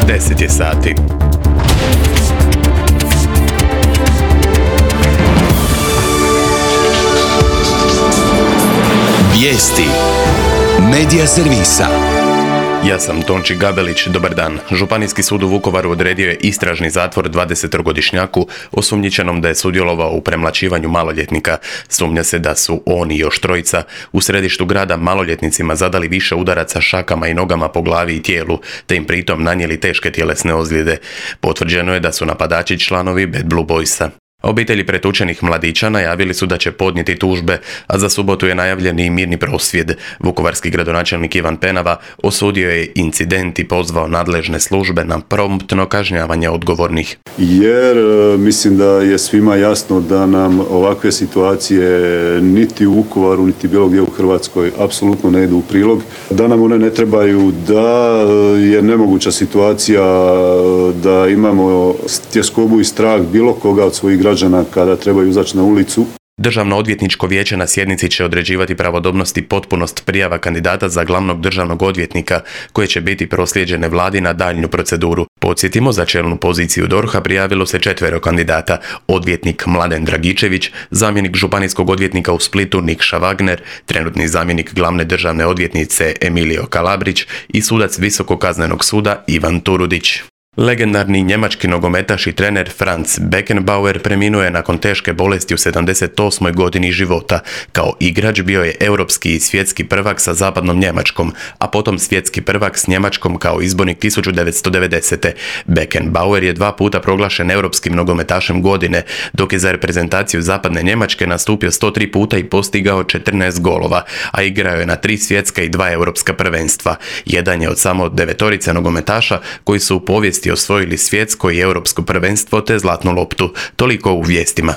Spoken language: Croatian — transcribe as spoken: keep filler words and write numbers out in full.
deset je sati. Vijesti Medija servisa. Ja sam Tonči Gabelić, dobar dan. Županijski sud u Vukovaru odredio je istražni zatvor dvadesetogodišnjaku osumnjičenom da je sudjelovao u premlaćivanju maloljetnika. Sumnja se da su on i još trojica u središtu grada maloljetnicima zadali više udaraca šakama i nogama po glavi i tijelu, te im pritom nanijeli teške tjelesne ozljede. Potvrđeno je da su napadači članovi Bad Blue Boysa. Obitelji pretučenih mladića najavili su da će podnijeti tužbe, a za subotu je najavljen i mirni prosvjed. Vukovarski gradonačelnik Ivan Penava osudio je incident i pozvao nadležne službe na promptno kažnjavanje odgovornih. Jer mislim da je svima jasno da nam ovakve situacije niti u Vukovaru, niti bilo gdje u Hrvatskoj apsolutno ne idu u prilog. Da nam one ne trebaju, da je nemoguća situacija da imamo tjeskobu i strah bilo koga od svojih građana građana kada trebaju izaći na ulicu. Državno odvjetničko vijeće na sjednici će određivati pravodobnost i potpunost prijava kandidata za glavnog državnog odvjetnika, koje će biti proslijeđene vladi na daljnju proceduru. Podsjetimo, za čelnu poziciju D O R H-a prijavilo se četvero kandidata: odvjetnik Mladen Dragičević, zamjenik županijskog odvjetnika u Splitu Nikša Wagner, trenutni zamjenik glavne državne odvjetnice Emilio Kalabrić i sudac Visokog kaznenog suda Ivan Turudić. Legendarni njemački nogometaš i trener Franz Beckenbauer preminuo je nakon teške bolesti u sedamdeset osmoj godini života. Kao igrač bio je europski i svjetski prvak sa zapadnom Njemačkom, a potom svjetski prvak s Njemačkom kao izbornik tisuću devetsto devedesete. Beckenbauer je dva puta proglašen europskim nogometašem godine, dok je za reprezentaciju zapadne Njemačke nastupio sto tri puta i postigao četrnaest golova, a igrao je na tri svjetska i dva europska prvenstva. Jedan je od samo devetorice nogometaša koji su u povijesti osvojili svjetsko i europsko prvenstvo te zlatnu loptu. Toliko u vijestima.